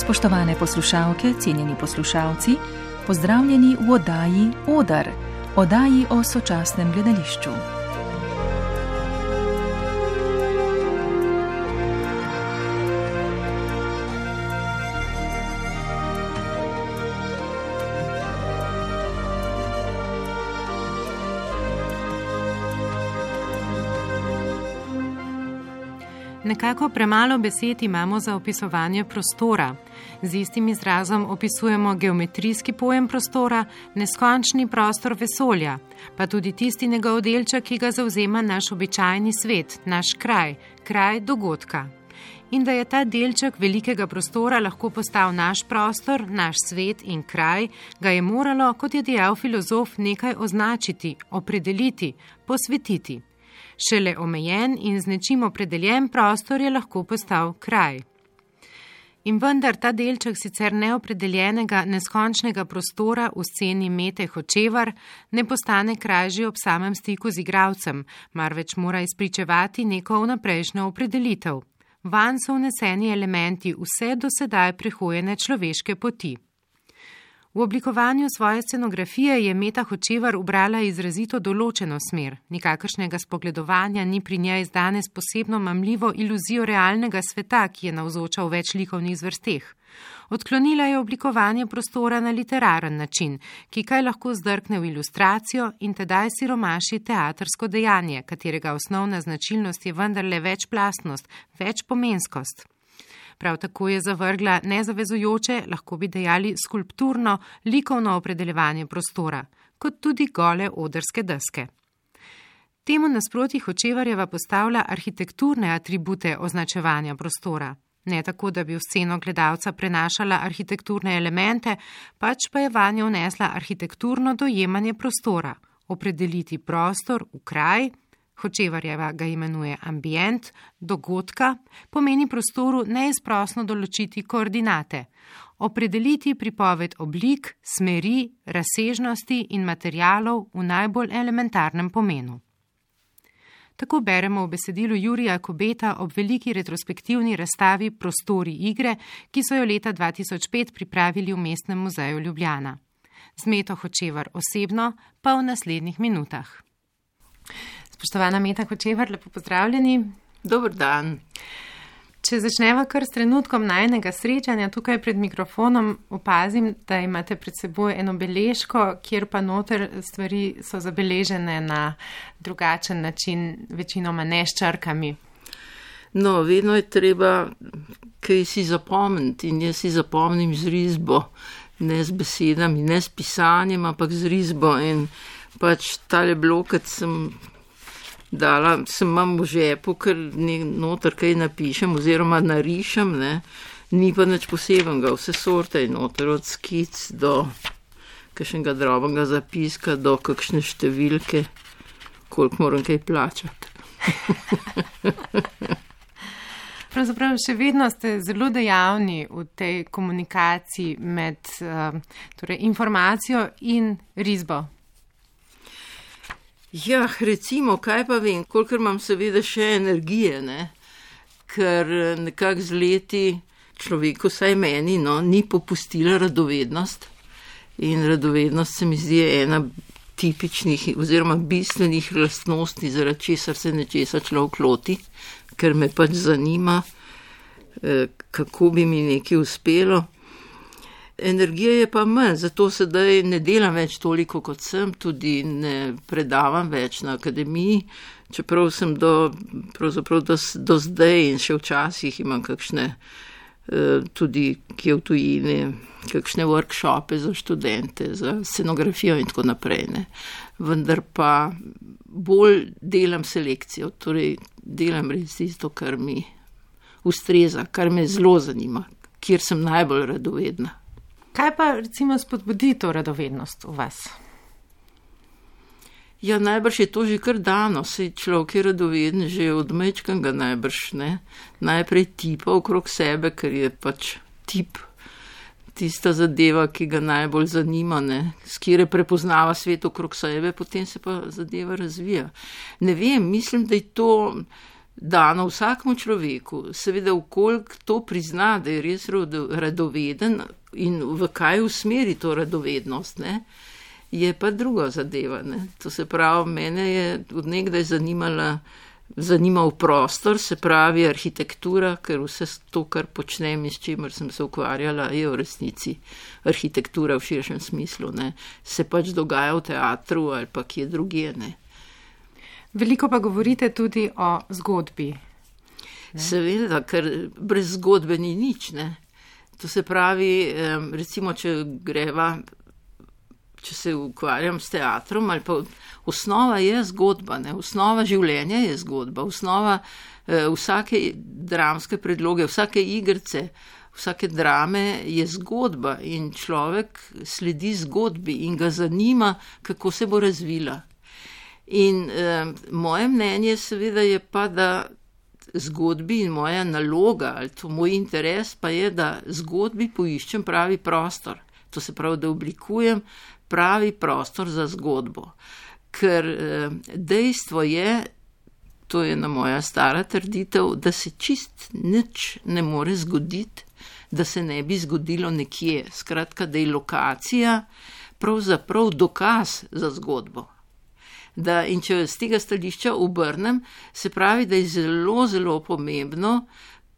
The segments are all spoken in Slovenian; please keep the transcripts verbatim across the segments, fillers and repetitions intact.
Spoštovane poslušalke, cenjeni poslušalci, pozdravljeni v oddaji Odar, oddaji o sočasnem gledališču. Nekako premalo besed imamo za opisovanje prostora. Z istim izrazom opisujemo geometrijski pojem prostora, neskončni prostor vesolja, pa tudi tisti njegov delček, ki ga zavzema naš običajni svet, naš kraj, kraj dogodka. In da je ta delček velikega prostora lahko postal naš prostor, naš svet in kraj, ga je moralo, kot je dejal filozof, nekaj označiti, opredeliti, posvetiti. Šele omejen in z nečim opredeljen prostor je lahko postal kraj. In vendar ta delček sicer neopredeljenega, neskončnega prostora v sceni Mete Hočevar ne postane kraj že ob samem stiku z igralcem, marveč mora izpričevati neko vnaprejšnjo opredelitev. Vanj so vneseni elementi vse do sedaj prehojene človeške poti. V oblikovanju svoje scenografije je Meta Hočevar ubrala izrazito določeno smer. Nikakršnega spogledovanja ni pri njej danes posebno mamljivo iluzijo realnega sveta, ki je navzoča v več likovnih zvrsteh. Odklonila je oblikovanje prostora na literaren način, ki kaj lahko zdrkne v ilustracijo in tedaj siromaši teatrsko dejanje, katerega osnovna značilnost je vendarle večplastnost, večpomenskost. Prav tako je zavrgla nezavezujoče, lahko bi dejali skulpturno, likovno opredeljevanje prostora, kot tudi gole odrske deske. Temu nasproti Hočevarjeva postavlja arhitekturne atribute označevanja prostora. Ne tako, da bi v sceno gledalca prenašala arhitekturne elemente, pač pa je vanjo vnesla arhitekturno dojemanje prostora, opredeliti prostor v kraj, Hočevarjeva ga imenuje ambient, dogodka, pomeni prostoru neizprosno določiti koordinate, opredeliti pripoved oblik, smeri, razsežnosti in materialov v najbolj elementarnem pomenu. Tako beremo v besedilu Jurija Kobeta ob veliki retrospektivni razstavi Prostori igre, ki so jo leta dva tisoč pet pripravili v Mestnem muzeju Ljubljana. Z Meto Hočevar osebno pa v naslednjih minutah. Spoštovana Meta Hočevar, lepo pozdravljeni. Dober dan. Če začneva kar s trenutkom najinega srečanja, tukaj pred mikrofonom opazim, da imate pred seboj eno beležko, kjer pa noter stvari so zabeležene na drugačen način, večinoma ne s črkami. No, vedno je treba kaj si zapomniti in jaz si zapomnim z risbo, ne z besedami, ne s pisanjem, ampak z risbo in pač tale blokat sem dala, sem imam v žepu, ker noter kaj napišem oziroma narišem, ne, ni pa nič posebenega, vse sorte je noter, od skic do kakšnega drobnega zapiska, do kakšne številke, koliko moram kaj plačati. Pravzaprav še vedno ste zelo dejavni v tej komunikaciji med uh, torej informacijo in risbo. Ja, recimo, kaj pa vem, kolikor imam seveda še energije, ne, ker nekako z leti človeku, saj meni, no, ni popustila radovednost in radovednost se mi zdi ena tipičnih oziroma bistvenih lastnosti, zaradi česar se nečesa človek loti, ker me pač zanima, kako bi mi nekaj uspelo. Energije je pa manj, zato sedaj ne delam več toliko, kot sem, tudi ne predavam več na akademiji, čeprav sem do, pravzaprav do, do zdaj in še včasih imam kakšne, tudi kje v tujini, kakšne workshope za študente, za scenografijo in tako naprej, ne. Vendar pa bolj delam selekcijo, torej delam res tisto, kar mi ustreza, kar me zelo zanima, kjer sem najbolj radovedna. Kaj pa recimo spodbudi to radovednost v vas? Ja, najbrž je to že kar dano, saj človek je radoveden že od majčkega najbrž, ne. Najprej tipa okrog sebe, ker je pač tip tista zadeva, ki ga najbolj zanima, ne, s kjer prepoznava svet okrog sebe, potem se pa zadeva razvija. Ne vem, mislim, da je to dano vsakmu človeku, seveda vkoliko to prizna, da je res radoveden in v kaj usmeri to radovednost, ne, je pa druga zadeva. Ne. To se pravi, mene je od nekdaj zanimala, zanimal prostor, se pravi arhitektura, ker vse to, kar počnem in s čimer sem se ukvarjala, je v resnici arhitektura v širšem smislu. Ne. Se pač dogaja v teatru ali pa kje drugje, ne. Veliko pa govorite tudi o zgodbi. Ne? Seveda, ker brez zgodbe ni nič, ne. To se pravi, recimo, če greva, če se ukvarjam s teatrom, ali pa osnova je zgodba, ne. Osnova življenja je zgodba, osnova eh, vsake dramske predloge, vsake igrice, vsake drame je zgodba in človek sledi zgodbi in ga zanima, kako se bo razvila. In eh, moje mnenje seveda je pa, da zgodbi in moja naloga ali to moj interes pa je, da zgodbi poiščem pravi prostor. To se pravi, da oblikujem pravi prostor za zgodbo. Ker eh, dejstvo je, to je na moja stara trditev, da se čist nič ne more zgoditi, da se ne bi zgodilo nekje. Skratka, da je lokacija pravzaprav dokaz za zgodbo. Da, in če z tega stališča obrnem, se pravi, da je zelo, zelo pomembno,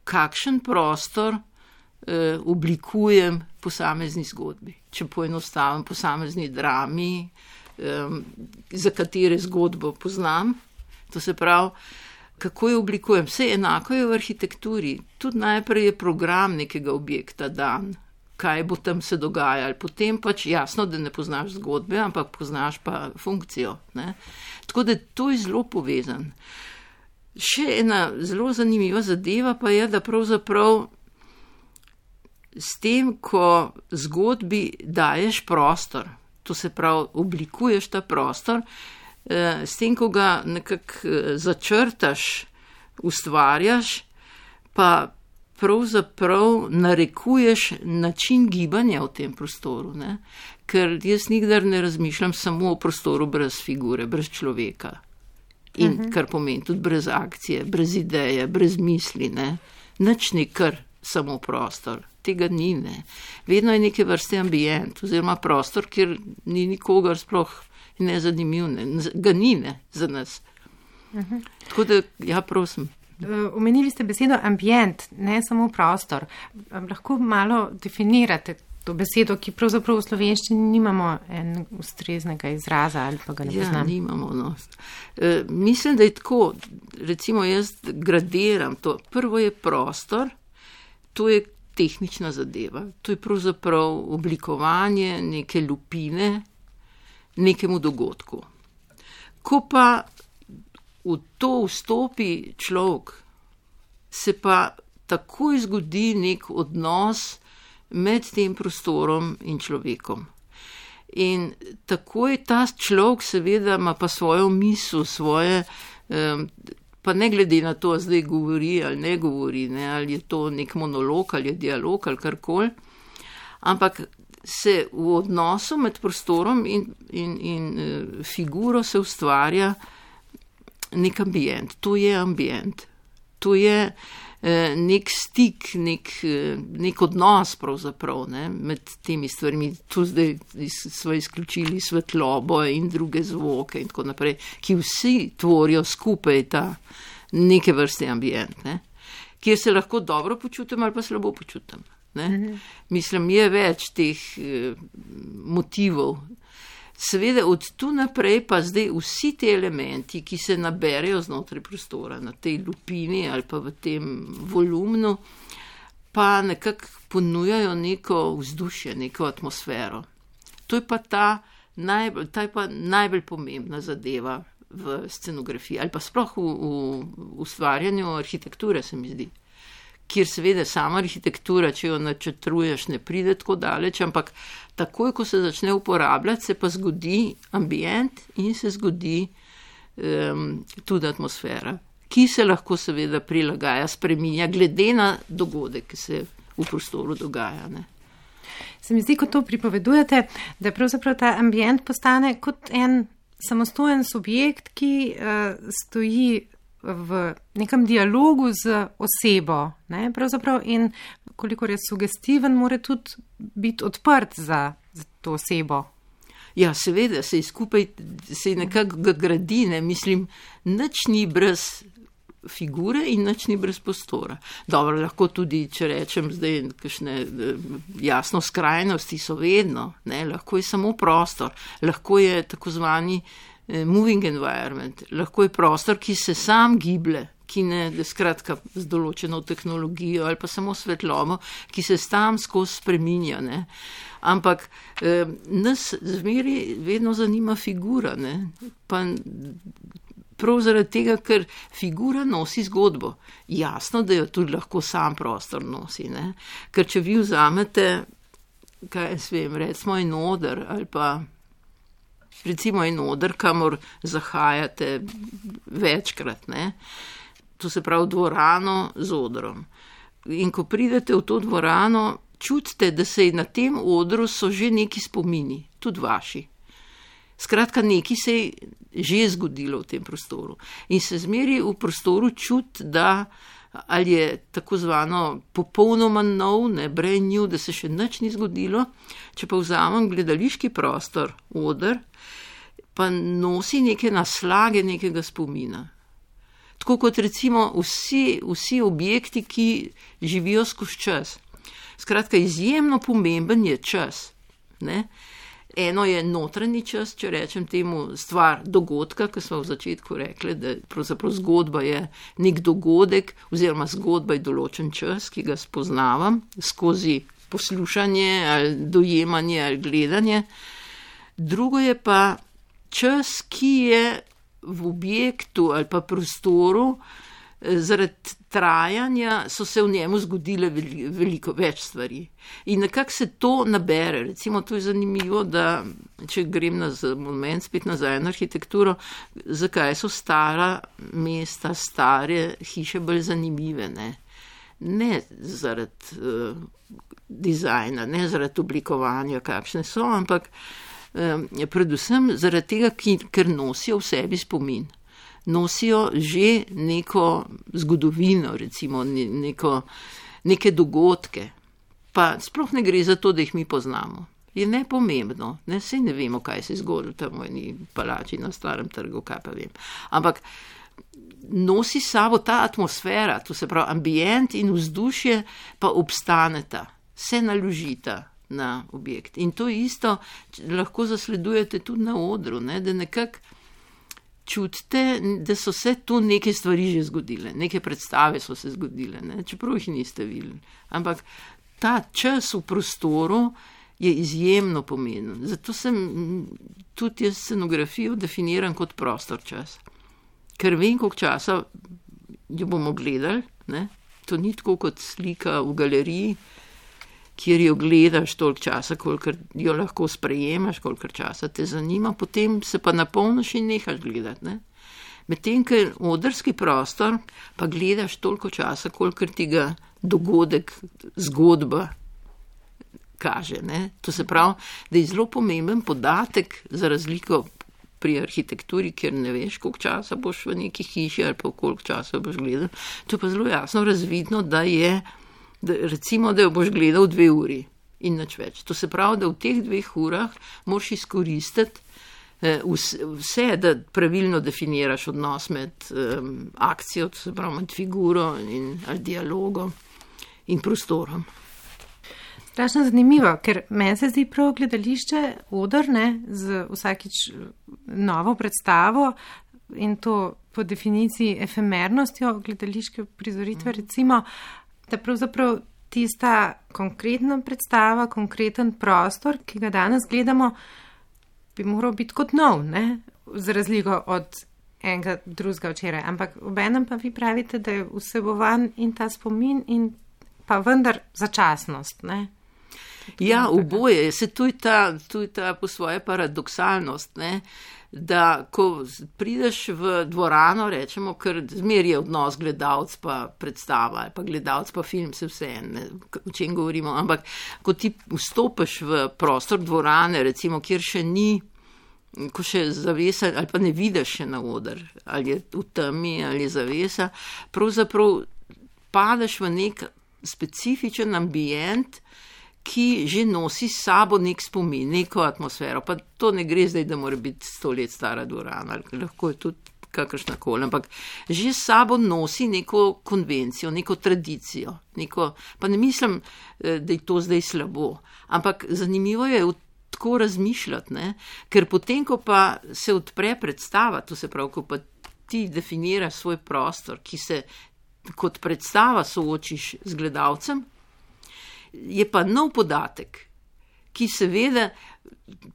kakšen prostor eh, oblikujem posamezni zgodbi. Če poenostavim posamezni drami, eh, za katere zgodbo poznam, to se pravi, kako jo oblikujem. Vse enako je v arhitekturi. Tudi najprej je program nekega objekta dan, kaj bo tam se dogajalo. Potem pač jasno, da ne poznaš zgodbe, ampak poznaš pa funkcijo. Ne? Tako da to je zelo povezan. Še ena zelo zanimiva zadeva pa je, da pravzaprav s tem, ko zgodbi daješ prostor, to se pravi, oblikuješ ta prostor, s tem, ko ga nekako začrtaš, ustvarjaš, pa pravzaprav narekuješ način gibanja v tem prostoru, ne? Ker jaz nikdar ne razmišljam samo o prostoru brez figure, brez človeka. In uh-huh. kar pomeni tudi brez akcije, brez ideje, brez misli, ne? Nič ni kar samo prostor. Tega ni, ne. Vedno je neke vrste ambient, oziroma prostor, kjer ni nikogar sploh nezanimiv, ne. Ga ni, ne, za nas. Uh-huh. Tako da, ja, prosim. Omenili ste besedo ambient, ne samo prostor. Lahko malo definirate to besedo, ki pravzaprav v slovenščini nimamo en ustreznega izraza ali pa ga ne poznam. Ja, nimamo. No. E, mislim, da je tako, recimo jaz gradiram to. Prvo je prostor, to je tehnična zadeva. To je pravzaprav oblikovanje neke lupine nekemu dogodku. Ko pa v to vstopi človek, se pa takoj zgodi nek odnos med tem prostorom in človekom. In takoj ta človek seveda ima pa svojo misel, svoje, pa ne glede na to, zdaj govori ali ne govori, ne, ali je to nek monolog ali je dialog ali karkoli, ampak se v odnosu med prostorom in, in, in figuro se ustvarja nek ambient, to je ambient, to je eh, nek stik, nek, eh, nek odnos pravzaprav, ne, med temi stvarmi. Tu zdaj smo izključili svetlobo in druge zvoke in tako naprej, ki vsi tvorijo skupaj ta neke vrste ambient, ne, kjer se lahko dobro počutim ali pa slabo počutim. Ne. Mhm. Mislim, je več teh eh, motivov. Seveda od tu naprej pa zdaj vsi te elementi, ki se naberejo znotraj prostora, na tej lupini ali pa v tem volumnu, pa nekako ponujajo neko vzdušje, neko atmosfero. To je pa ta najbolj, ta je pa najbolj pomembna zadeva v scenografiji ali pa sploh v, v ustvarjanju arhitekture, se mi zdi. Kjer seveda sama arhitektura, če jo načrtuješ, ne pride tako daleč, ampak takoj, ko se začne uporabljati, se pa zgodi ambient in se zgodi um, tudi atmosfera, ki se lahko seveda prilagaja, spreminja, glede na dogodek, ki se v prostoru dogaja. Ne. Se mi zdi, ko to pripovedujete, da pravzaprav ta ambient postane kot en samostojen subjekt, ki uh, stoji v nekem dialogu z osebo, ne, pravzaprav in kolikor je sugestiven, mora tudi biti odprt za, za to osebo. Ja, seveda, se skupaj, se nekako ga gradi, ne, mislim, nič ni brez figure in nič ni brez prostora. Dobro, lahko tudi, če rečem zdaj, kakšne jasno skrajnosti so vedno, ne, lahko je samo prostor, lahko je tako zvani moving environment, lahko je prostor, ki se sam giblje, ki ne, skratka, z določeno tehnologijo ali pa samo svetlobo, ki se tam skozi spreminja, ne. Ampak eh, nas zmeri vedno zanima figura, ne, pa prav zaradi tega, ker figura nosi zgodbo. Jasno, da jo tudi lahko sam prostor nosi, ne, ker če vi vzamete, kaj jaz vem, recimo en oder ali pa recimo en oder, kamor zahajate večkrat, ne, to se pravi dvorano z odrom. In ko pridete v to dvorano, čutite, da se na tem odru so že neki spomini, tudi vaši. Skratka, nekaj se je že zgodilo v tem prostoru. In se zmeri v prostoru čuti, da ali je tako zvano popolnoma nov, ne, brand new, da se še nič ni zgodilo. Če pa vzamem gledališki prostor, oder, pa nosi neke naslage nekega spomina. Tako kot recimo vsi, vsi objekti, ki živijo skozi čas. Skratka, izjemno pomemben je čas, ne. Eno je notranji čas, če rečem temu stvar dogodka, ki smo v začetku rekli, da pravzaprav zgodba je nek dogodek oziroma zgodba je določen čas, ki ga spoznavam skozi poslušanje ali dojemanje ali gledanje. Drugo je pa čas, ki je v objektu ali pa prostoru, zaradi trajanja so se v njemu zgodile veliko več stvari. In nekako se to nabere. Recimo, to je zanimivo, da če grem na moment spet nazaj na arhitekturo, zakaj so stara mesta, stare hiše bolj zanimive, ne? Ne zaradi uh, dizajna, ne zaradi oblikovanja, kakšne so, ampak um, predvsem zaradi tega, ki, ker nosijo v sebi spomin. Nosijo že neko zgodovino, recimo neko, neke dogodke. Pa sploh ne gre za to, da jih mi poznamo. Je nepomembno, ne, saj ne vemo, kaj se je zgodilo tam v eni palači na Starem trgu, kaj pa vem. Ampak nosi sabo ta atmosfera, to se pravi ambient in vzdušje pa obstaneta, se naložita na objekt. In to isto lahko zasledujete tudi na odru, ne, da nekako čutite, da so se tu neke stvari že zgodile, neke predstave so se zgodile, ne? Čeprav jih niste videli. Ampak ta čas v prostoru je izjemno pomemben. Zato sem tudi jaz scenografijo definiran kot prostor čas. Ker vem, koliko časa jo bomo gledali, ne? To ni tako kot slika v galeriji, kjer jo gledaš toliko časa, kolikor jo lahko sprejemaš, kolikor časa te zanima, potem se pa napolniš in nehaš gledati, ne. Medtem, ker odrski prostor pa gledaš toliko časa, kolikor ti ga dogodek, zgodba kaže, ne. To se pravi, da je zelo pomemben podatek za razliko pri arhitekturi, kjer ne veš, koliko časa boš v neki hiši ali pa koliko časa boš gledal. To je pa zelo jasno razvidno, da je Da, recimo, da jo boš gledal dve uri in nič več. To se pravi, da v teh dveh urah moraš izkoristiti eh, vse, da pravilno definiraš odnos med eh, akcijo, to se pravi med figuro in ali dialogom in prostorom. Strašno zanimivo, ker meni se zdi prav gledališče oder, ne, z vsakič novo predstavo in to po definiciji efemernostjo gledališke prizoritve, mm. recimo, da pravzaprav tista konkretna predstava, konkreten prostor, ki ga danes gledamo, bi moral biti kot nov, ne? Z razliko od enega drugega včeraj. Ampak obenem pa vi pravite, da je vsebovan in ta spomin in pa vendar začasnost, ne? Ja, oboje. Se tu je ta, tu je ta po svoje paradoksalnost, ne? Da ko prideš v dvorano, rečemo, ker zmer je odnos gledalc pa predstava, pa gledalc pa film, se vse, ne, o čem govorimo, ampak ko ti vstopiš v prostor dvorane, recimo, kjer še ni ko še zavesa, ali pa ne vidiš še na oder, ali je v temi, ali je zavesa, pravzaprav padeš v nek specifičen ambient, ki že nosi s sabo nek spomin, neko atmosfero. Pa to ne gre zdaj, da mora biti sto let stara dvorana, ali lahko je tudi kakršna koli, ampak že s sabo nosi neko konvencijo, neko tradicijo, neko, pa ne mislim, da je to zdaj slabo, ampak zanimivo je tako razmišljati, ne? Ker potem, ko pa se odpre predstava, to se pravi, ko pa ti definiraš svoj prostor, ki se kot predstava soočiš z gledalcem, je pa nov podatek, ki seveda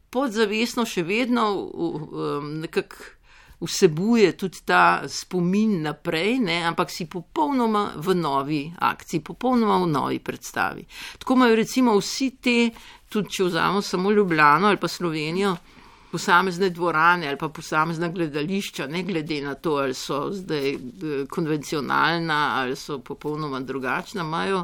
podzavestno še vedno um, nekako vsebuje tudi ta spomin naprej, ne, ampak si popolnoma v novi akciji, popolnoma v novi predstavi. Tako imajo recimo vsi te, tudi če vzamemo samo Ljubljano ali pa Slovenijo, posamezne dvorane ali pa posamezna gledališča, ne glede na to, ali so zdaj konvencionalna ali so popolnoma drugačna, imajo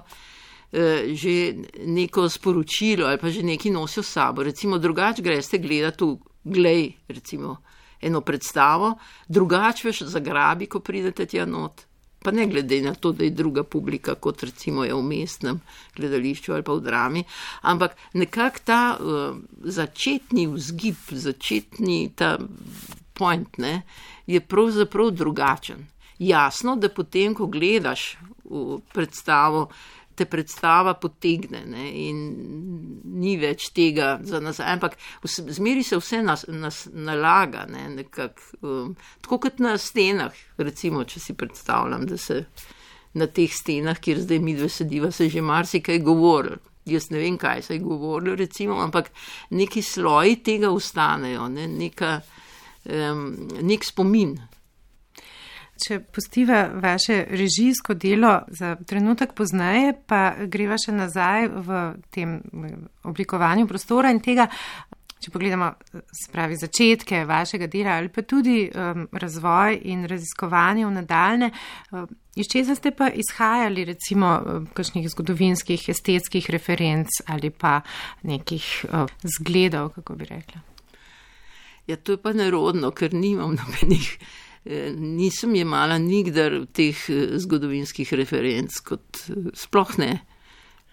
eh, že neko sporočilo ali pa že neki nosijo s sabo. Recimo drugače greste gledati v glej, recimo, eno predstavo, drugače veš zagrabi, ko pridete tja not. Pa ne glede na to, da je druga publika, kot recimo je v mestnem gledališču ali pa v drami, ampak nekako ta uh, začetni vzgib, začetni ta point, ne, je pravzaprav drugačen. Jasno, da potem, ko gledaš v predstavo, te predstava potegne, ne, in ni več tega za nazaj, ampak zmeri se vse nas, nas nalaga, ne, nekak, um, tako kot na stenah, recimo, če si predstavljam, da se na teh stenah, kjer zdaj midve sediva, se že marsikaj govorili. Jaz ne vem, kaj se je govorilo, recimo, ampak neki sloji tega ostanejo, ne, neka, um, nek spomin. Če pustiva vaše režijsko delo za trenutek pozneje, pa greva še nazaj v tem oblikovanju prostora in tega, če pogledamo, spravi začetke vašega dela ali pa tudi um, razvoj in raziskovanje v nadaljne, um, iz česa ste pa izhajali recimo um, kakšnih zgodovinskih, estetskih referenc ali pa nekih um, zgledov, kako bi rekla? Ja, to je pa nerodno, ker nimam nobenih. Nisem jemala nikdar teh zgodovinskih referenc, kot sploh ne,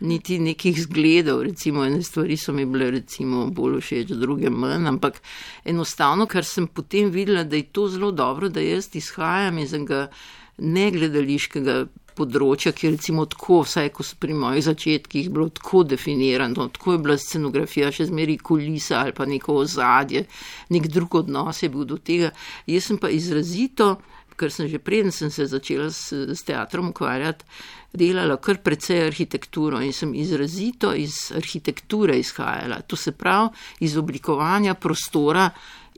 niti nekih zgledov, recimo ene stvari so mi bile recimo bolj všeč, druge manj, ampak enostavno, ker sem potem videla, da je to zelo dobro, da jaz izhajam iz enega negledališkega področja, ki je recimo tako, vsaj ko so pri mojih začetkih bilo tako definirano, tako je bila scenografija še zmeri kulisa ali pa neko ozadje, nek drug odnos je bil do tega. Jaz sem pa izrazito, ker sem že preden sem se začela s, s teatrom ukvarjati, delala kar precej arhitekturo in sem izrazito iz arhitekture izhajala, to se pravi iz oblikovanja prostora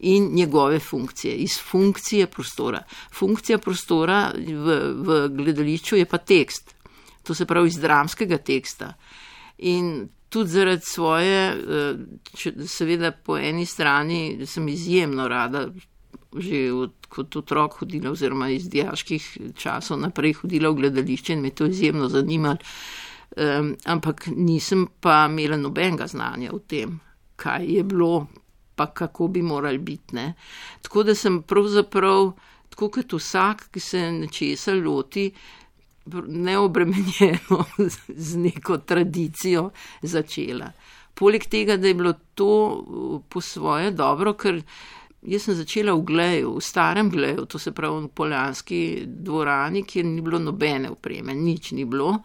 in njegove funkcije, iz funkcije prostora. Funkcija prostora v, v gledališču je pa tekst, to se pravi iz dramskega teksta. In tudi zaradi svoje, seveda po eni strani sem izjemno rada že od, kot otrok hodila oziroma iz dijaških časov naprej hodila v gledališče in me to izjemno zanimalo, um, ampak nisem pa imela nobenega znanja o tem, kaj je bilo, pa kako bi morali biti, ne. Tako da sem pravzaprav, tako kot vsak, ki se nečesa loti, neobremenjeno z neko tradicijo začela. Poleg tega, da je bilo to po svoje dobro, ker jaz sem začela v Gleju, v starem Gleju, to se pravi v Poljanski dvorani, kjer ni bilo nobene opreme, nič ni bilo.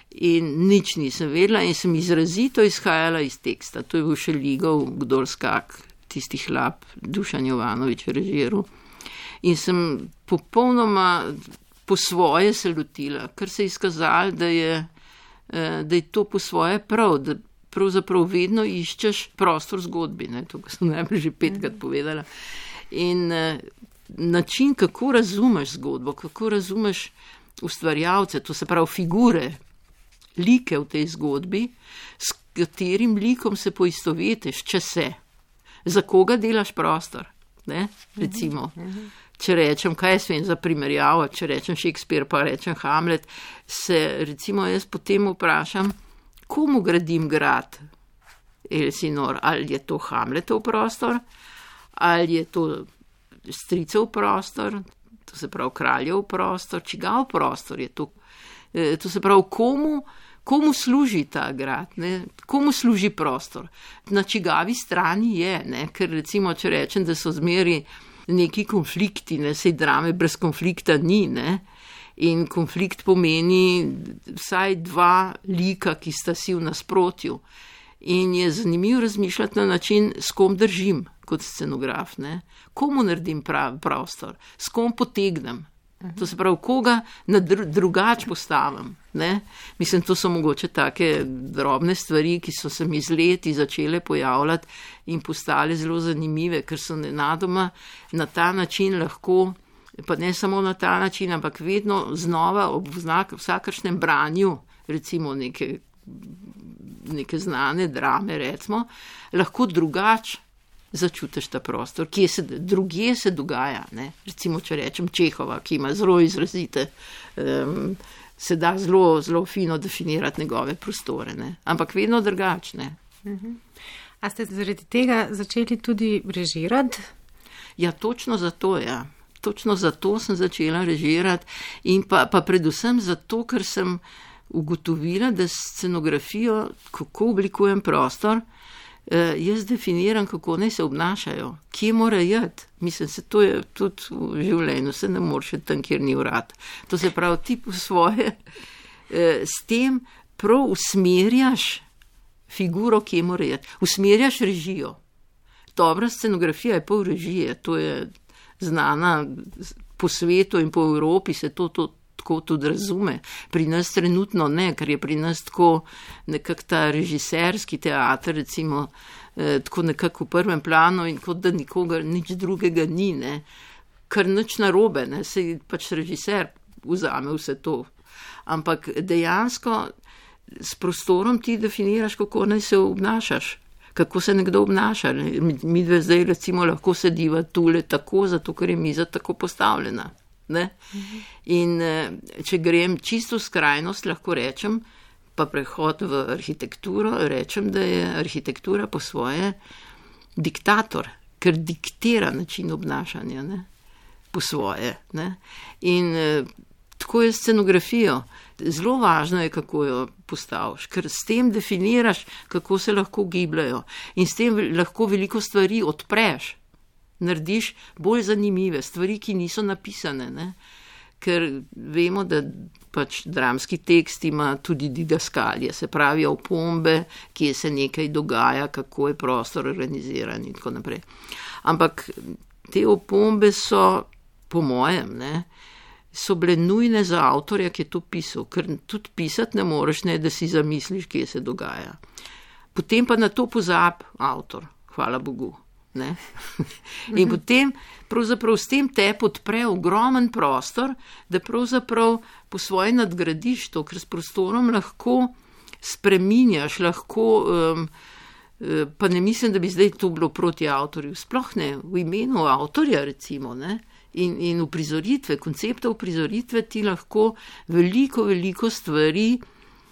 In nič nisem vedela in sem izrazito izhajala iz teksta. To je bil še Ligov, Kdor skak, tistih lap, Dušan Jovanovič režiral. In sem popolnoma po svoje se lotila, ker se je izkazalo, da je, da je to po svoje prav, da pravzaprav vedno iščeš prostor zgodbi, ne, to sem najprej že petkrat povedala. In način, kako razumeš zgodbo, kako razumeš ustvarjalce, to se pravi figure, like v tej zgodbi, s katerim likom se poistovetiš, če se, za koga delaš prostor, ne, recimo. Če rečem, kaj jaz vem za primerjavo, če rečem Shakespeare, pa rečem Hamlet, se recimo jaz potem vprašam, komu gradim grad Elsinor, ali je to Hamletov prostor, ali je to stricev prostor, to se pravi kraljev prostor, čigav prostor je to, to se pravi komu, komu služi ta grad, ne? Komu služi prostor, na čigavi strani je, ne? Ker recimo, če rečem, da so zmeri neki konflikti, ne? Sej drame brez konflikta ni, ne? In konflikt pomeni vsaj dva lika, ki sta si v nasprotju. In je zanimivo razmišljati na način, s kom držim kot scenograf, ne? Komu naredim prav, prostor, s kom potegnem. To se pravi, koga na dru, drugač postavim. Ne? Mislim, to so mogoče take drobne stvari, ki so se mi z leti začele pojavljati in postale zelo zanimive, ker so nenadoma na ta način lahko, pa ne samo na ta način, ampak vedno znova ob znak, vsakršnem branju, recimo neke, neke znane drame, recimo, lahko drugač začutiš ta prostor, kje se, drugje se dogaja, ne? Recimo, če rečem Čehova, ki ima zelo izrazite, um, se da zelo, zelo fino definirati njegove prostore, ne? Ampak vedno drugačne. Uh-huh. A ste zaradi tega začeli tudi režirati? Ja, točno zato, ja. Točno zato sem začela režirati in pa, pa predvsem zato, ker sem ugotovila, da scenografijo, kako oblikujem prostor, jaz definiram, kako naj se obnašajo, kje mora jeti. Mislim, se to je tudi v življenju, se ne moreš tam, kjer ni vrat. To se pravi, ti po svoje, s tem prav usmerjaš figuro, kje mora jeti. Usmerjaš režijo. Dobra scenografija je pol režije, to je znana po svetu in po Evropi, se to, to tako tudi razume. Pri nas trenutno ne, ker je pri nas tako nekak ta režiserski teater, recimo, eh, tako nekako v prvem planu in kot da nikoga, nič drugega ni, ne. Kar nič narobe, ne, se pač režiser vzame vse to. Ampak dejansko s prostorom ti definiraš, kako naj se obnašaš, kako se nekdo obnaša. Mi dve zdaj recimo lahko sediva tule tako, zato ker je miza tako postavljena. Ne? In če grem čisto v skrajnost, lahko rečem, pa prehod v arhitekturo, rečem, da je arhitektura po svoje diktator, ker diktira način obnašanja, ne? Po svoje. Ne? In tako je scenografijo. Zelo važno je, kako jo postaviš, ker s tem definiraš, kako se lahko gibljajo in s tem lahko veliko stvari odpreš. Narediš bolj zanimive stvari, ki niso napisane, ne? Ker vemo, da pač dramski tekst ima tudi didaskalije, se pravi opombe, kje se nekaj dogaja, kako je prostor organiziran in tako naprej. Ampak te opombe so, po mojem, ne, so bile nujne za avtorja, ki je to pisal, ker tudi pisati ne moreš, ne, da si zamisliš, kje se dogaja. Potem pa na to pozab avtor, hvala Bogu. Ne? In potem pravzaprav s tem te podpre ogromen prostor, da pravzaprav po svoje nadgradiš to, ker s prostorom lahko spreminjaš, lahko, um, pa ne mislim, da bi zdaj to bilo proti avtorju, sploh ne, v imenu avtorja recimo, ne? In, in v prizoritve, koncepta v prizoritve ti lahko veliko, veliko stvari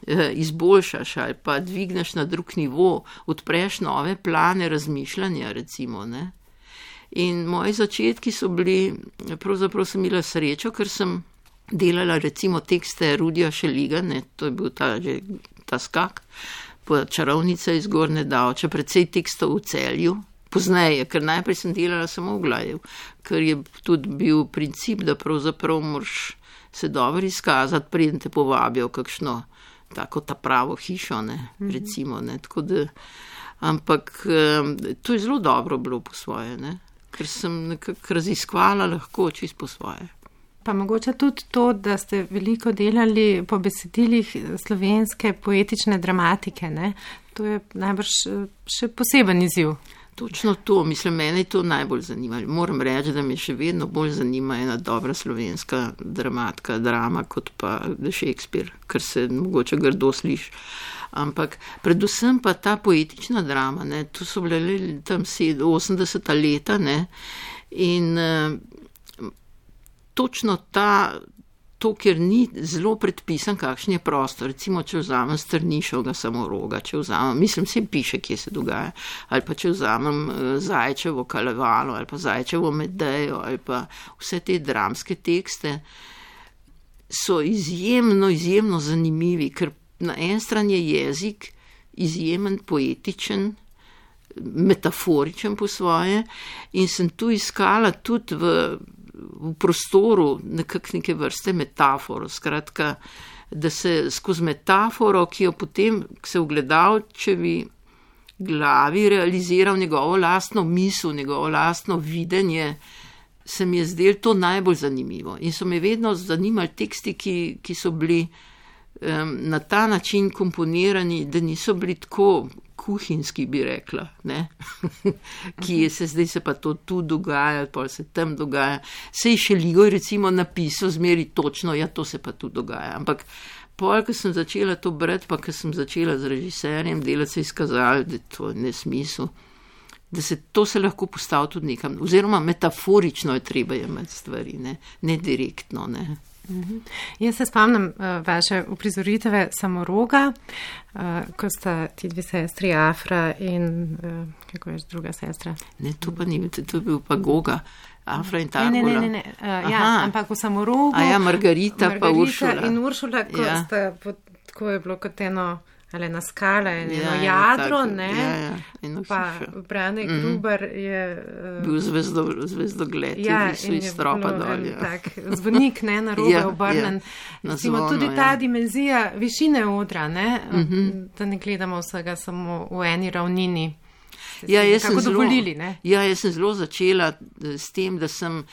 izboljšaš ali pa dvigneš na drug nivo, odpreš nove plane razmišljanja, recimo, ne. In moji začetki so bili, pravzaprav sem imela srečo, ker sem delala recimo tekste Rudija Šeliga, ne, to je bil ta, že, ta skak, pa Čarovnica iz Gornje Davče, precej tekstov v Celju, pozneje, ker najprej sem delala samo v Glaju, ker je tudi bil princip, da pravzaprav moraš se dobro izkazati, preden te povabijo kakšno tako ta pravo hišo, ne, recimo, ne, tako da, ampak to je zelo dobro bilo po svoje, ne, ker sem nekako raziskvala lahko čisto po svoje. Pa mogoče tudi to, da ste veliko delali po besedilih slovenske poetične dramatike, ne, to je najbrž še poseben izziv. Točno to, mislim, mene je to najbolj zanimalo. Moram reči, da me še vedno bolj zanima ena dobra slovenska dramatka, drama, kot pa Shakespeare, ker se mogoče grdo sliši. Ampak predvsem pa ta poetična drama, ne, to so bile tam osemdeseta leta, ne, in uh, točno ta, to, ker ni zelo predpisan, kakšen je prostor. Recimo, če vzamem Strnišovega Samoroga, če vzamem, mislim, se piše, kje se dogaja, ali pa če vzamem Zajčevo Kalevalo, ali pa Zajčevo Medejo, ali pa vse te dramske tekste, so izjemno, izjemno zanimivi, ker na en stran je jezik izjemen, poetičen, metaforičen po svoje in sem tu iskala tudi v, v prostoru nekak neke vrste metaforo, skratka, da se skozi metaforo, ki jo potem se v gledalčevi glavi realiziral njegovo lastno misel, njegovo lastno videnje, se mi je zdelo to najbolj zanimivo in so me vedno zanimali teksti, ki, ki so bili um, na ta način komponirani, da niso bili tako kuhinjski, bi rekla, ne? Ki je se zdaj se pa to tu dogaja, pa se tam dogaja. Sej Šeligoj recimo napisal zmeri točno, ja, to se pa tu dogaja. Ampak pol, ko sem začela to brati, pa ko sem začela z režiserjem delati, se je izkazalo, da to je nesmisel, da se to se lahko postavi tudi nekam, oziroma metaforično je treba imeti stvari, ne, ne direktno, ne. Uh-huh. Jaz se spomnim uh, vaše uprizoritve Samoroga, uh, ko sta ti dve sestri Afra in uh, kako je druga sestra? Ne, to pa ni, to je bil pa Goga, Afra in Targula. Ne, ne, ne, ne. Uh, ja, ampak v Samorogu. A ja, Margarita, Margarita pa Uršula. In Uršula, ko ja. sta, tako je bilo kot eno, ali na skala, eno ja, jadro, tako, ne? Ja, ja. Pa Brane mm-hmm. Gruber je... Uh, bil zvezdo, zvezdogled, ja, so iz stropa dolje. Tak, zvonik, ne, na robe ja, obrnen. Ja, Simo, tudi ta ja. dimenzija višine odra, ne? Mm-hmm. Da ne gledamo vsega samo v eni ravnini. Ja, jaz sem, zelo, dovolili, ja, jaz sem zelo začela s tem, da sem...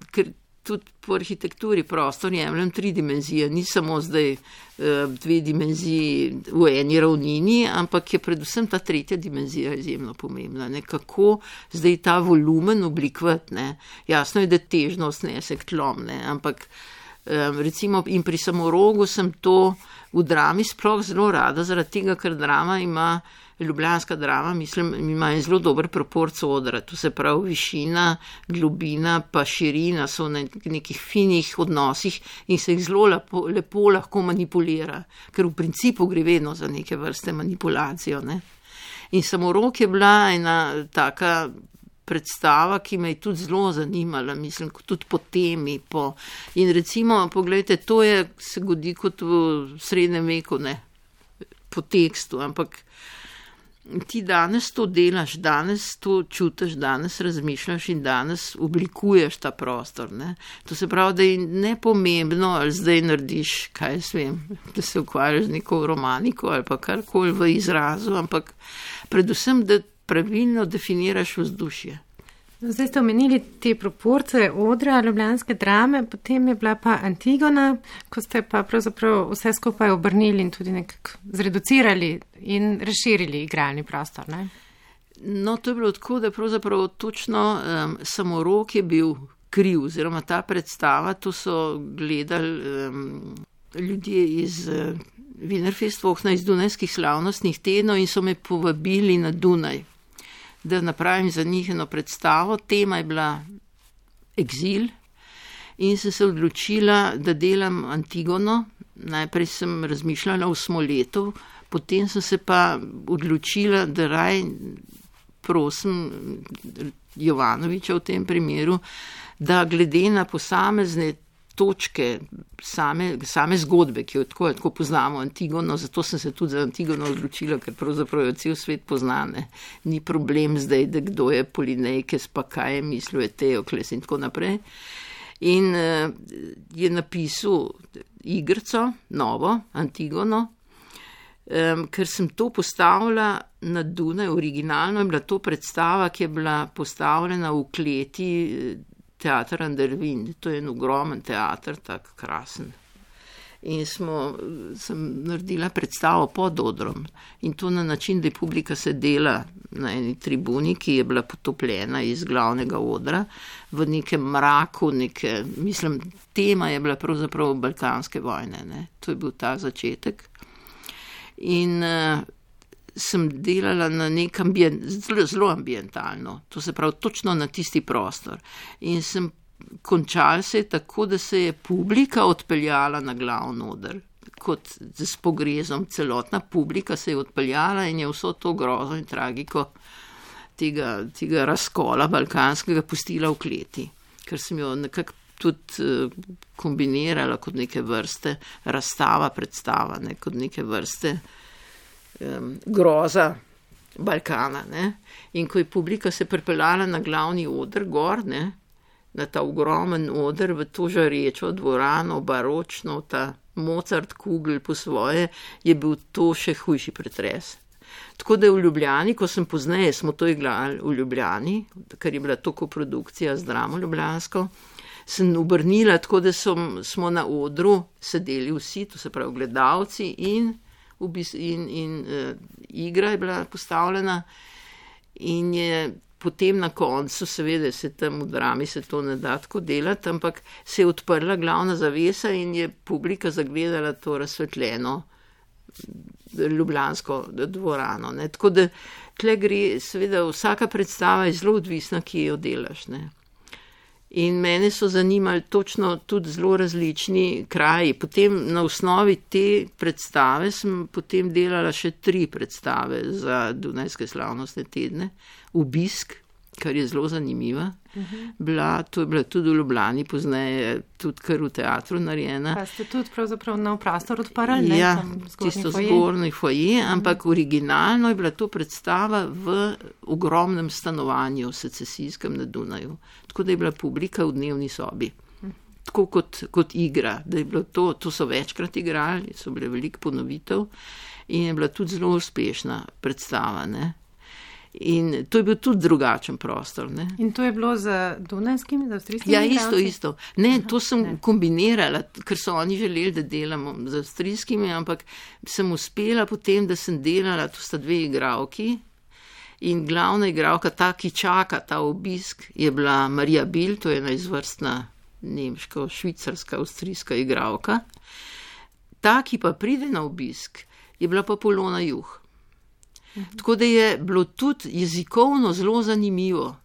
Ker, tudi po arhitekturi prostor jemljem tri dimenzije, ni samo zdaj uh, dve dimenziji v eni ravnini, ampak je predvsem ta tretja dimenzija izjemno pomembna, ne, kako zdaj ta volumen oblikovati, ne, jasno je, da težnost nese k tlom, ne, ampak um, recimo in pri Samorogu sem to v drami sploh zelo rada, zaradi tega, ker drama ima Ljubljanska drama, mislim, ima en zelo dober proporc odra, to se pravi višina, globina pa širina so na nekih finih odnosih in se jih zelo lepo, lepo lahko manipulira, ker v principu gre vedno za neke vrste manipulacijo, ne. In Samorog je bila ena taka predstava, ki me je tudi zelo zanimala, mislim, tudi po temi, po... in recimo, pogledajte, to je, se godi kot v srednjem veku, ne, po tekstu, ampak ti danes to delaš, danes to čutiš, danes razmišljaš in danes oblikuješ ta prostor, ne. To se pravi, da je nepomembno, ali zdaj narediš, kaj jaz vem, da se ukvarjaš z neko romaniko ali pa karkoli v izrazu, ampak predvsem, da pravilno definiraš vzdušje. Zdaj ste omenili te proporce odra ljubljanske drame, potem je bila pa Antigona, ko ste pa pravzaprav vse skupaj obrnili in tudi nekako zreducirali in razširili igralni prostor, ne? No, to je bilo tako, da pravzaprav točno um, Samorog je bil kriv, oziroma ta predstava, to so gledali um, ljudje iz uh, Wienerfestvokna, iz Dunajskih slavnostnih tednov in so me povabili na Dunaj, da napravim za njih eno predstavo. Tema je bila eksil in sem se odločila, da delam Antigono. Najprej sem razmišljala o Smoletu, potem sem se pa odločila, da raj prosim Jovanoviča v tem primeru, da glede na posamezne točke same, same zgodbe, ki jo tako, tako poznamo Antigono, zato sem se tudi za Antigono odločila, ker pravzaprav jo cel svet poznane. Ni problem zdaj, da kdo je Polinejkes, pa kaj je mislil, je Teokles in tako naprej. In uh, je napisal igrico, novo, Antigono, um, ker sem to postavila na Dunaj, originalno je bila to predstava, ki je bila postavljena v kleti Teater Andervin, to je en ogromen teater, tak krasen. In smo, sem naredila predstavo pod odrom in to na način, da je publika sedela na eni tribuni, ki je bila potopljena iz glavnega odra v nekem mraku, neke, mislim, tema je bila pravzaprav balkanske vojne, ne? To je bil ta začetek. In uh, sem delala na nek ambient, zelo, zelo ambientalno, to se pravi točno na tisti prostor. In sem končalo se je tako, da se je publika odpeljala na glavni oder. Kot s pogrezom, celotna publika se je odpeljala in je vso to grozo in tragiko tega, tega razkola balkanskega pustila v kleti, ker sem jo nekako tudi kombinirala kot neke vrste razstava, predstava, ne, kot neke vrste um, groza Balkana. Ne. In ko je publika se pripeljala na glavni oder gor, ne, na ta ogromen oder, v to žarečo dvorano, baročno, ta Mozart kugel po svoje, je bil to še hujši pretres. Tako da v Ljubljani, ko sem pozneje, smo to igrali v Ljubljani, ker je bila to koprodukcija z Dramo ljubljansko, sem obrnila tako, da som, smo na odru sedeli vsi, to se pravi gledalci in, in, in uh, igra je bila postavljena in je potem na koncu, seveda se tam v Drami se to ne da tako delati, ampak se je odprla glavna zavesa in je publika zagledala to razsvetljeno ljubljansko dvorano. Ne. Tako da tle gre, seveda vsaka predstava je zelo odvisna, ki jo delaš. Ne. In mene so zanimali točno tudi zelo različni kraji. Potem na osnovi te predstave sem potem delala še tri predstave za Dunajske slavnostne tedne. Obisk, kar je zelo zanimiva. Uh-huh. Bila, to je bila tudi v Ljubljani, pozneje tudi kar v teatru narejena. Pa ste tudi pravzaprav nov prostor odprli, ne? Ja, tisto zgornji foje, uh-huh. Ampak originalno je bila to predstava v ogromnem stanovanju secesijskem na Dunaju. Tako da je bila publika v dnevni sobi. Uh-huh. Tako kot, kot igra, da je bilo to, to so večkrat igrali, so bile veliko ponovitev in je bila tudi zelo uspešna predstava, ne. In to je bil tudi drugačen prostor. Ne? In to je bilo z dunajskimi, z avstrijskimi? Ja, isto, isto. Ne, to sem ne. kombinirala, ker so oni želeli, da delamo z avstrijskimi, ampak sem uspela potem, da sem delala, to sta dve igralki in glavna igralka, ta, ki čaka ta obisk, je bila Marija Bil, to je ena izvrstna nemška, švicarska, avstrijska igralka. Ta, ki pa pride na obisk, je bila pa Polona Juh. Tako da je bilo tudi jezikovno zelo zanimivo,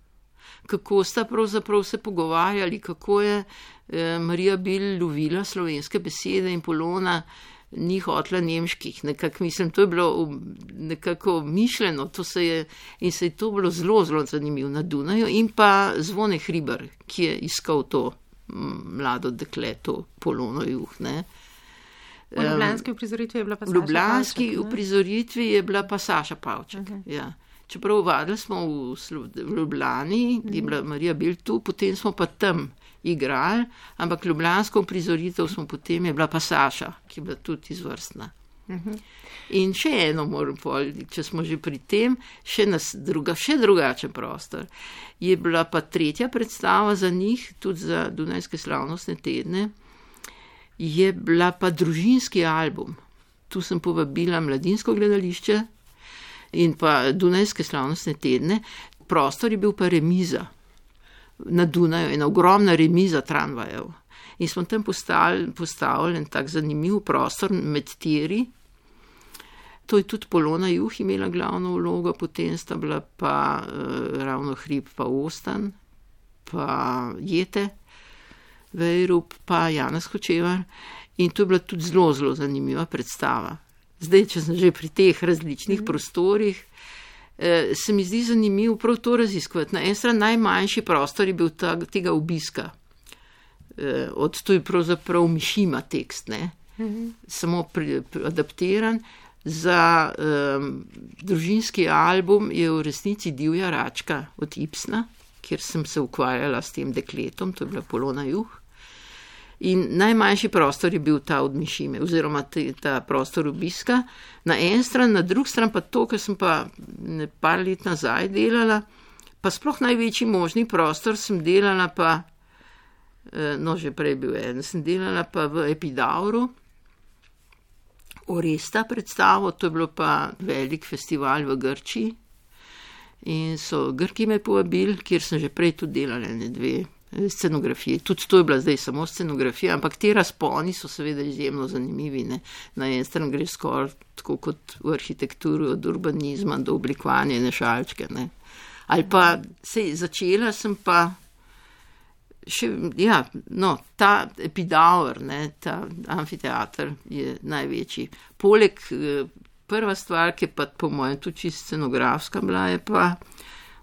kako sta pravzaprav se pogovarjali, kako je eh, Marija Bil lovila slovenske besede in Polona ni hotla nemških. Nekako mislim, to je bilo nekako mišljeno, to se je, in se je to bilo zelo, zelo zanimivo na Dunaju. In pa Zvone Hribar, ki je iskal to mlado dekle, to Polono Juh, ne. V ljubljanski uprizoritvi je bila pa Saša Pavček. V ljubljanski uprizoritvi je bila pa Saša Pavček, okay. Ja. Čeprav vadili smo v, v Ljubljani, mm. je bila Marija Bil tu, potem smo pa tam igrali, ampak ljubljansko uprizoritev smo potem, je bila pa Saša, ki je bila tudi izvrstna. Mm-hmm. In še eno moram povedati, če smo že pri tem, še, nas, druga, še drugačen prostor. Je bila pa tretja predstava za njih, tudi za Dunajske slavnostne tedne, je bila pa družinski album. Tu sem povabila Mladinsko gledališče in pa Dunajske slavnostne tedne. Prostor je bil pa remiza na Dunaju, ena ogromna remiza tramvajev. In smo tam postavili, postavili en tak zanimiv prostor med tiri. To je tudi Polona Juh imela glavno vlogo, potem sta bila pa uh, Ravno Hrib pa Ostan, pa Jete, Vejrup pa Janez Hočevar in to je bila tudi zelo, zelo zanimiva predstava. Zdaj, če sem že pri teh različnih mm. prostorih, eh, se mi zdi zanimivo prav to raziskovati. Na en stran najmanjši prostor je bil ta, tega obiska. Eh, od to je pravzaprav Mišima tekst, ne? Mm-hmm. Samo pri, pri, adaptiran. Za eh, družinski album je v resnici Divja račka od Ibsna, kjer sem se ukvarjala s tem dekletom, to je bila Polona Juh. In najmanjši prostor je bil ta od Mišime, oziroma te, ta prostor obiska. Na en stran, na drug stran pa to, kar sem pa ne, par let nazaj delala, pa sploh največji možni prostor sem delala pa, no že prej bil en, sem delala pa v Epidauru, Oresta predstavo, to je bilo pa velik festival v Grčiji. In so Grki me povabili, kjer sem že prej tudi delala ne dve scenografije. Tudi to je bila zdaj samo scenografija, ampak te razponi so seveda izjemno zanimivi. Ne? Na en stran gre skoraj tako kot v arhitekturi od urbanizma do oblikovanja nešalčke. Ne? Ali pa se začela sem pa Še, ja, no, ta Epidaur, ne, ta amfiteater je največji. Poleg prva stvar, ki je pa po mojem tudi čisto scenografska bila, je pa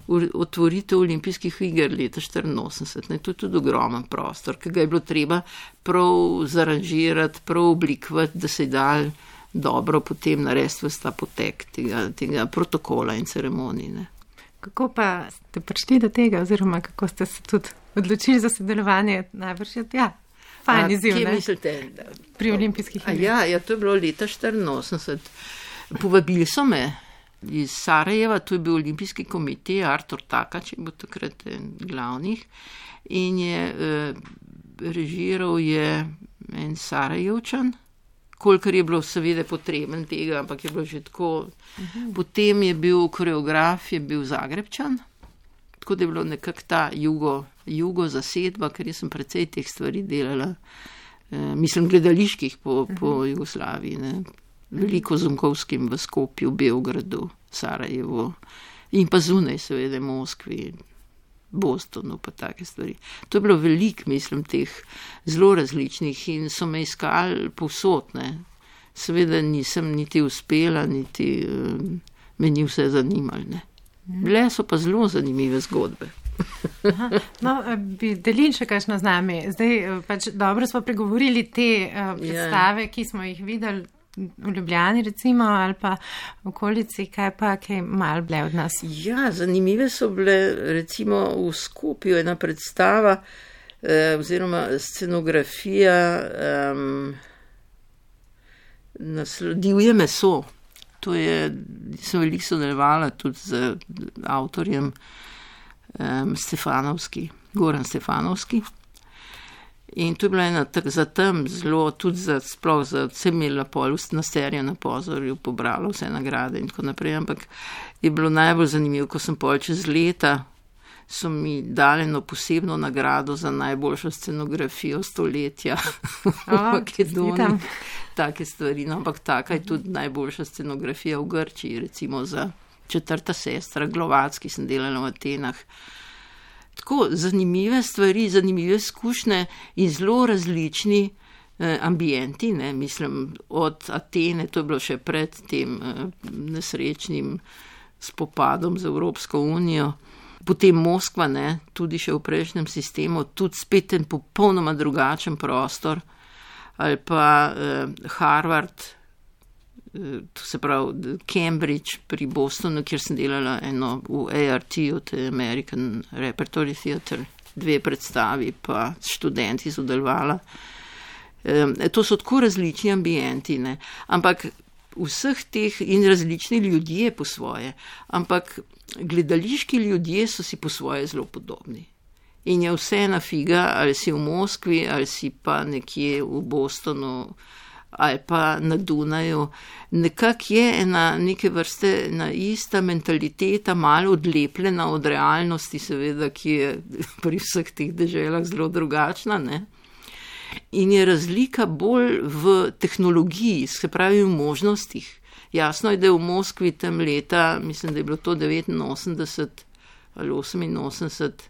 otvoritev olimpijskih iger leta štiriinosemdeset. Ne, to je tudi ogromen prostor, ki ga je bilo treba prav zaranžirati, prav oblikovati, da se je dal dobro potem narediti vsta potek tega, tega protokola in ceremonij. Ne. Kako pa ste prišli do tega, oziroma kako ste se tudi odločili za sodelovanje? Najbrž je, ja, fajn izziv, ne? Mislite? Pri olimpijskih igrah. Ja, ja, to je bilo leta štiriinosemdeset. Povabili so me iz Sarajeva, to je bil olimpijski komitej, Artur Takač je bil takrat glavnih in je eh, režiral je en Sarajevčan, kolikor je bilo seveda potreben tega, ampak je bilo že tako. Uh-huh. Potem je bil koreograf, je bil Zagrebčan, tako da je bilo nekako ta jugo, jugo zasedba, ker jaz sem precej teh stvari delala, eh, mislim gledaliških po, uh-huh. po Jugoslaviji, ne. Veliko Zunkovskim v Skopju, Beogradu, Sarajevu in pa zunaj seveda Moskvi, Bostonu pa take stvari. To je bilo veliko, mislim, teh zelo različnih in so me iskali povsod, ne. Seveda nisem niti uspela, niti uh, me ni vse zanimalo, ne. Bile so pa zelo zanimive zgodbe. Aha, no, bi delili še kakšno z nami. Zdaj pač dobro smo pregovorili te uh, predstave, yeah. ki smo jih videli v Ljubljani recimo, ali pa v okolici, kaj pa, kaj malo bile od nas? Ja, zanimive so bile recimo v Skopju ena predstava eh, oziroma scenografija eh, naslo, Divje meso. To je, sem veliko sodelovala tudi z avtorjem eh, Stefanovski, Goran Stefanovski. In to je bila ena tak, za tam zelo, tudi za sploh za vse imela pol na serija na Pozorju, pobrala vse nagrade in tako naprej, ampak je bilo najbolj zanimivo, ko sem pol čez leta, so mi dali eno posebno nagrado za najboljšo scenografijo stoletja v Makedoniji. Take stvari, no, ampak taka je tudi najboljša scenografija v Grčiji, recimo za Četrta sestra, Glovacki sem delala v Atenah. Tako zanimive stvari, zanimive izkušnje in zelo različni eh, ambienti, ne, mislim, od Atene, to je bilo še pred tem eh, nesrečnim spopadom z Evropsko unijo, potem Moskva, ne, tudi še v prejšnjem sistemu, tudi spet en popolnoma drugačen prostor, ali pa eh, Harvard, to se pravi Cambridge pri Bostonu, kjer sem delala eno v A R T-u, to je American Repertory Theatre, dve predstavi, pa študenti sodelovala. E, to so tako različni ambienti, ne, ampak vseh teh in različni ljudje po svoje, ampak gledališki ljudje so si po svoje zelo podobni. In je vse na figa, ali si v Moskvi, ali si pa nekje v Bostonu, ali pa na Dunaju. Nekako je ena neke vrste ena ista mentaliteta, malo odlepljena od realnosti, seveda, ki je pri vseh teh deželah zelo drugačna, ne. In je razlika bolj v tehnologiji, se pravi v možnostih. Jasno je, da je v Moskvi tam leta, mislim, da je bilo to devetinosemdeset ali oseminosemdeset,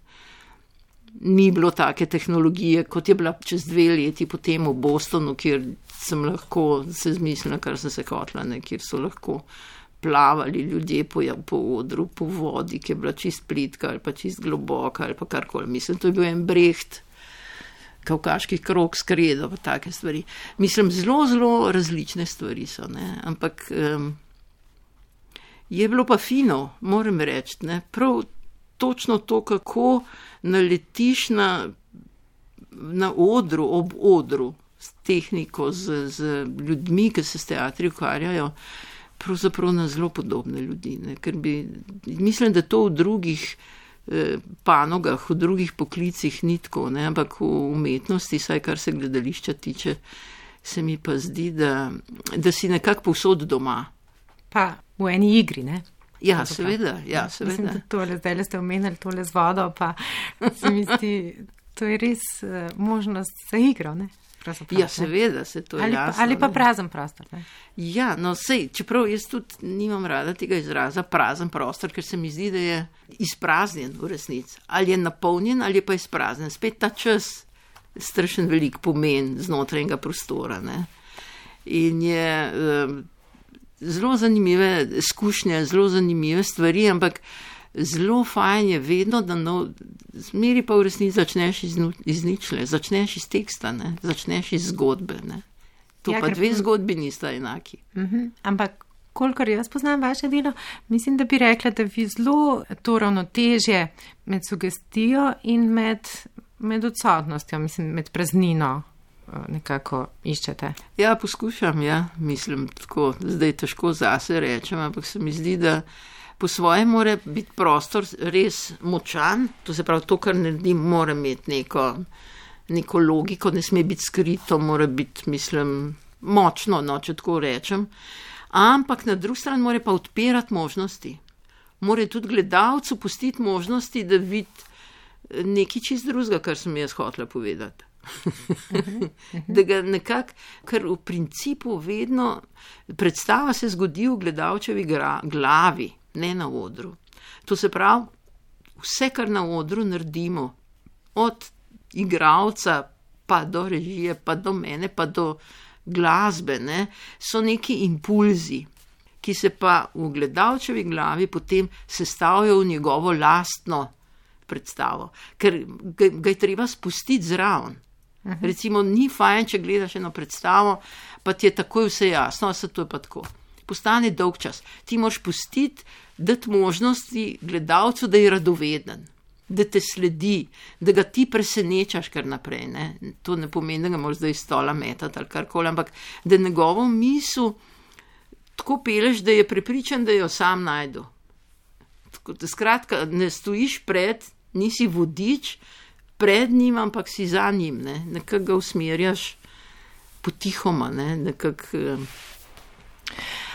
ni bilo take tehnologije, kot je bila čez dve leti potem v Bostonu, kjer sem lahko se zmislila, kar sem se hotla, ne, kjer so lahko plavali ljudje po, po odru, po vodi, ki je bila čist plitka ali pa čist globoka ali pa karkoli. Mislim, to je bil en Brecht, kavkaški krog s kredo, pa take stvari. Mislim, zelo, zelo različne stvari so, ne, ampak um, je bilo pa fino, moram reči, ne, prav točno to, kako naletiš na, na odru, ob odru, s tehniko, z, z ljudmi, ki se s teatri ukvarjajo, pravzaprav na zelo podobne ljudi. Ne? Ker bi, mislim, da to v drugih eh, panogah, v drugih poklicih ni tako, ne? Ampak v umetnosti, saj kar se gledališča tiče, se mi pa zdi, da, da si nekako povsod doma. Pa v eni igri, ne? Ja, seveda, ja, seveda. Mislim, tole, zdaj ste omenili tole z vodo, pa se mi zdi, to je res uh, možnost za igro, ne? Ja, seveda se to je ali jasno. Pa, ali pa prazen prostor. Ne? Ja, no sej, čeprav jaz tudi nimam rada tega izraza prazen prostor, ker se mi zdi, da je izpraznjen v resnici. Ali je napolnjen, ali je pa izpraznjen. Spet ta čas strašen velik pomen znotraj enega prostora. Ne? In je um, zelo zanimive izkušnje, zelo zanimive stvari, ampak zelo fajn je vedno, da no, zmeri pa v resnici začneš iz, iz ničle, začneš iz teksta, ne? Začneš iz zgodbe. Ne? To ja, pa dve zgodbi nista enaki. Uh-huh. Ampak, kolikor jaz poznam vaše delo, mislim, da bi rekla, da vi zelo to ravnotežje med sugestijo in med, med odsotnostjo, mislim, med praznino nekako iščete. Ja, poskušam, ja, mislim, tako, zdaj težko zase rečem, ampak se mi zdi, da po svoje mora biti prostor res močan, to se pravi, to, kar naredim, mora imeti neko, neko logiko, ne sme biti skrito, mora biti, mislim, močno, no, če tako rečem, ampak na drugi strani mora pa odpirati možnosti. Mora tudi gledalcu pustiti možnosti, da vidi nekaj čist drugega, kar sem jaz hotela povedati. Da ga nekako, ker v principu vedno predstava se zgodi v gledalčevi gra, glavi, ne na odru. To se pravi, vse, kar na odru naredimo, od igralca pa do režije, pa do mene, pa do glasbe, ne, so neki impulzi, ki se pa v gledalčevi glavi potem sestavljajo v njegovo lastno predstavo, ker ga, ga je treba spustiti zraven. Aha. Recimo, ni fajn, če gledaš eno predstavo, pa ti je takoj vse jasno, a se to je pa tako. Postane dolg čas. Ti moraš pustiti, dati možnosti gledalcu, da je radoveden, da te sledi, da ga ti presenečaš kar naprej. Ne? To ne pomeni, da ga moraš zdaj iz stola metati ali karkoli, ampak da njegovo misel tako peleš, da je prepričan, da jo sam najdu. Tako, da skratka, ne stojiš pred, nisi vodič, pred njim, ampak si za njim, ne? Nekako ga usmerjaš potihoma, ne? Nekako...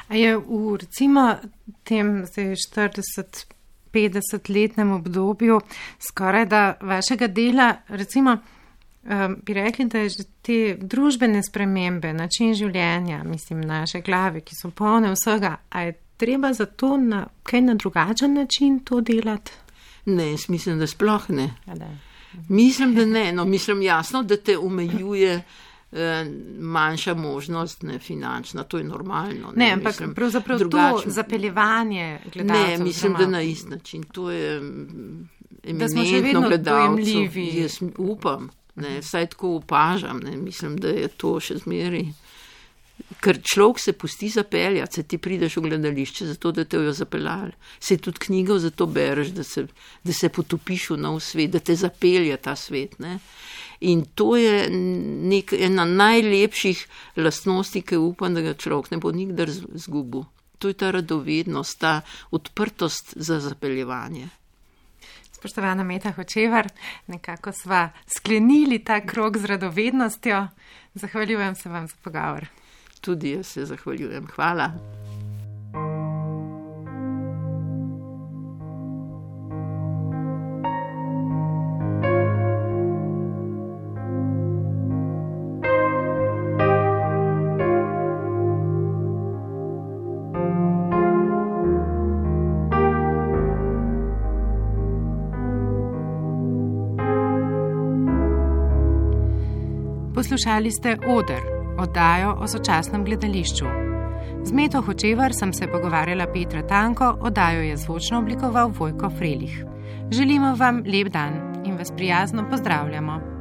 A je v recimo tem štirideset petdeset letnem obdobju skoraj da vašega dela, recimo um, bi rekli, da je te družbene spremembe, način življenja, mislim, naše glave, ki so polne vsega, a je treba za to na kaj na drugačen način to delati? Ne, jaz mislim, da sploh ne. A da. Mislim, da ne. No, mislim jasno, da te omejuje manjša možnost, ne finančna, to je normalno. Ne, ne ampak mislim, pravzaprav drugačno. To zapeljevanje gledalcev. Ne, mislim, da na isti način. To je eminentno gledalcev. Jaz upam, ne, vsaj tako opažam, ne, mislim, da je to še zmeri. Ker človek se pusti zapeljati, se ti prideš v gledališče zato, da te jo zapeljali. Se tudi knjigo zato bereš, da se, da se potopiš v nov svet, da te zapelje ta svet, ne. In to je nek, ena najlepših lastnosti, ki upam, da ga človek ne bo nikdar zgubil. To je ta radovednost, ta odprtost za zapeljevanje. Spoštovana Meta Hočevar, nekako sva sklenili ta krog z radovednostjo. Zahvaljujem se vam za pogovor. Tudi jaz se zahvaljujem. Hvala. Poslušali ste Oder, oddajo o sočasnem gledališču. Z Meto Hočevar sem se pogovarjala Petra Tanko, oddajo je zvočno oblikoval Vojko Frelih. Želimo vam lep dan in vas prijazno pozdravljamo.